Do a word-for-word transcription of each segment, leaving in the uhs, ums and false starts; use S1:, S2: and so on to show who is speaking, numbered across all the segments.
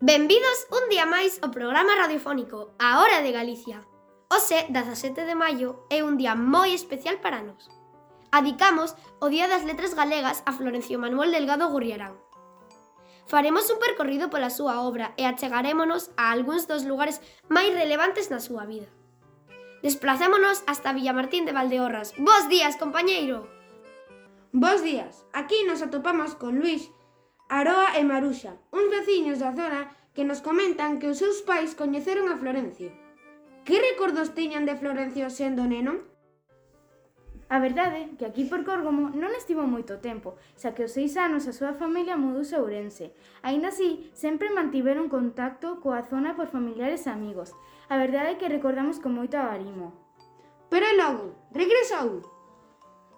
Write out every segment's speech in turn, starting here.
S1: Benvidos un día máis ao programa radiofónico A Hora de Galicia. Hoxe, dezasete de maio, é un día moi especial para nós. Adicamos o Día das Letras Galegas a Florencio Manuel Delgado Gurriarán. Faremos un percorrido pola súa obra e achegarémonos a algúns dos lugares máis relevantes na súa vida. Desplacémonos hasta Villamartín de Valdeorras. Bos días, compañeiro!
S2: Bos días. Aquí nos atopamos con Luís, Aroa e Maruxa, uns veciños da zona que nos comentan que os seus pais coñeceron a Florencio. Que recordos tiñan de Florencio sendo neno?
S3: A verdade é que aquí por Córgomo non estivo moito tempo, xa que aos seis anos a súa familia mudouse a Ourense. Aínda así, sempre mantiveron contacto coa zona por familiares e amigos. A verdade é que recordamos con moito agarimo.
S2: Pero logo, regresou?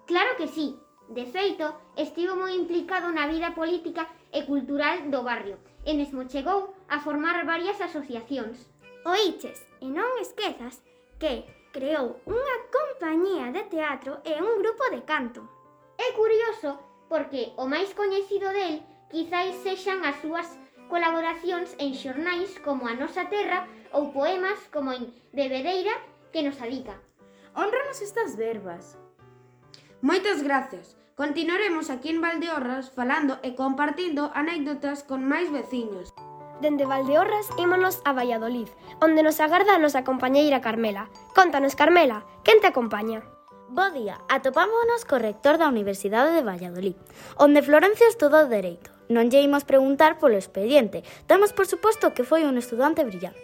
S4: Claro que sí. De feito, estivo moi implicado na vida política e cultural do barrio e mesmo chegou a formar varias asociacións.
S5: Oíches, e non esquezas que creou unha compañía de teatro e un grupo de canto.
S4: É curioso porque o máis coñecido del quizáis sexan as súas colaboracións en xornais como A Nosa Terra ou poemas como en Bebedeira que nos adica.
S3: Hónranos estas verbas.
S2: Moitas gracias. Continuaremos aquí en Valdeorras falando e compartindo anécdotas con máis veciños.
S1: Dende Valdeorras ímonos a Valladolid, onde nos agarda a nosa compañeira Carmela. Contanos, Carmela, quen te acompaña?
S6: Bo día, atopámonos co rector da Universidade de Valladolid, onde Florencio estudou Dereito. Non lle imos preguntar polo expediente, damos por suposto que foi un estudante brillante.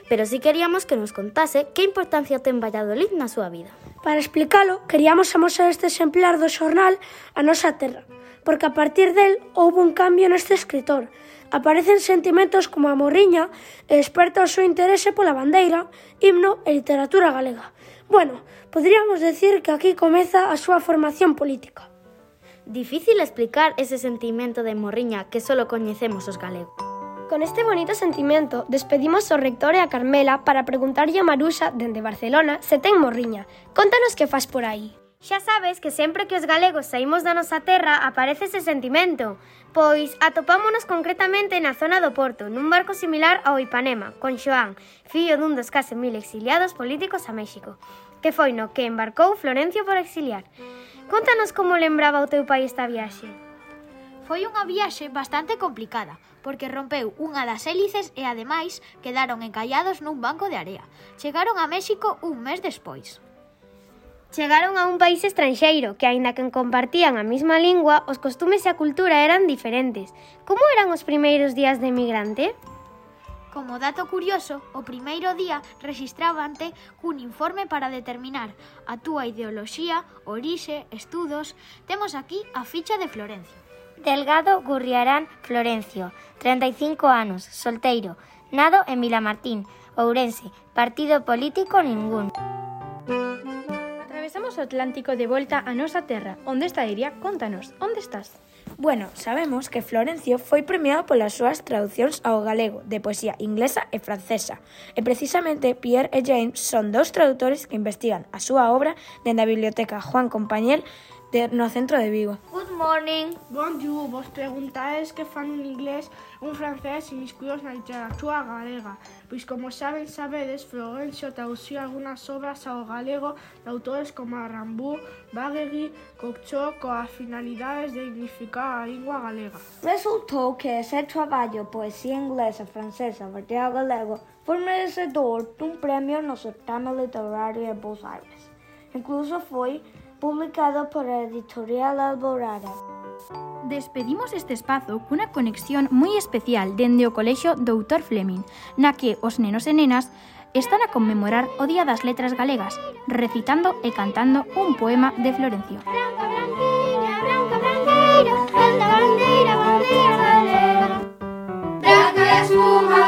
S6: Pero si queríamos que nos contase que importancia ten Valladolid na súa vida.
S7: Para explicalo, queríamos amosar este exemplar do xornal A Nosa Terra, porque a partir del houve un cambio neste escritor. Aparecen sentimentos como a morriña e desperta o seu interese pola bandeira, himno e literatura galega. Bueno, poderíamos decir que aquí comeza a súa formación política.
S6: Difícil explicar ese sentimento de morriña que só coñecemos os galegos.
S1: Con este bonito sentimento, despedimos ao rector e a Carmela para preguntarlle a Maruxa, dende Barcelona, se ten morriña. Contanos que faz por aí.
S8: Xa sabes que sempre que os galegos saímos da nosa terra aparece ese sentimento. Pois atopámonos concretamente na zona do Porto, nun barco similar ao Ipanema, con Xoán, fillo dun dos case mil exiliados políticos a México, que foi no que embarcou Florencio por exiliar. Contanos como lembraba o teu pai esta viaxe.
S9: Foi unha viaxe bastante complicada, porque rompeu unha das hélices e, ademais, quedaron encallados nun banco de area. Chegaron a México un mes despois.
S8: Chegaron a un país estranxeiro, que aínda que compartían a mesma lingua, os costumes e a cultura eran diferentes. Como eran os primeiros días de emigrante?
S9: Como dato curioso, o primeiro día rexistrábante cun informe para determinar a túa ideoloxía, orixe, estudos. Temos aquí a ficha de Florencio.
S6: Delgado Gurriarán Florencio, treinta e cinco anos, solteiro, nado en Vilamartín, Ourense, partido político ningún.
S3: Atravesamos o Atlántico de volta a nosa terra. Onde está Iria? Contanos, onde estás?
S7: Bueno, sabemos que Florencio foi premiado polas súas traducións ao galego de poesía inglesa e francesa. E precisamente Pierre e James son dous tradutores que investigan a súa obra dende a Biblioteca Juan Compañel de, no centro de Vigo.
S6: Good morning.
S10: Bonjour, vos preguntades que fan un inglés, un francés inmiscuídos na literatura galega. Pois como saben, sabedes, Florencio traduciu algunhas obras ao galego de autores como Rambú, Bagueri, Cocteau, coa finalidades de dignificar a lingua galega.
S11: Resultou que ese traballo, poesía inglesa e francesa vertida ao galego, foi merecedor dun premio no certame literario de Buenos Aires. Incluso foi publicado por a editorial Alborada.
S3: Despedimos este espazo cunha conexión moi especial dende o Colexio doutor Fleming, na que os nenos e nenas están a conmemorar o Día das Letras Galegas, recitando e cantando un poema de Florencio.
S5: Branca, branquinha, branca, branqueira, alta bandeira, bandeira galega. Branca e a espuma